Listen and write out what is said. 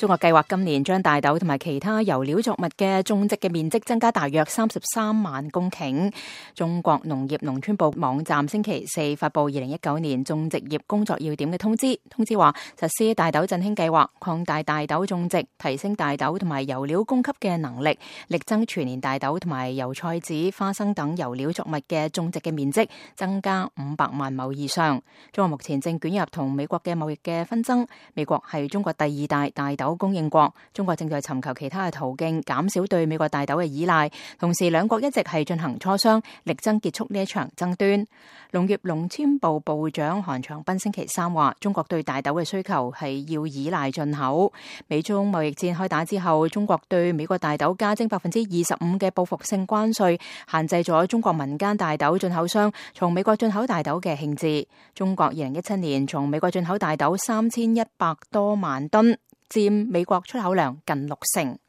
中國計劃今年將大豆同埋其他油料作物嘅種植嘅面積增加大約33萬公頃。中國農業農村部網站星期四發布2019年種植業工作要點嘅通知，通知話實施大豆振興計劃，擴大大豆種植，提升大豆同埋油料供給嘅能力，力爭全年大豆同埋油菜籽、花生等油料作物嘅種植嘅面積增加500萬畝以上。中國目前正捲入同美國嘅貿易嘅紛爭，美國係中國第二大大豆供應國，中國正在尋求其他嘅途徑減少對美國大豆嘅依賴，同時兩國一直係進行磋商，力爭結束呢一場爭端。農業農村部部長韓長斌星期三話，中國對大豆嘅需求係要依賴進口。美中貿易戰開打之後，中國對美國大豆加徵25%嘅報復性關稅，限制咗中國民間大豆進口商從美國進口大豆嘅興致。中國2017年從美國進口大豆3100多萬噸，佔美國出口量近60%。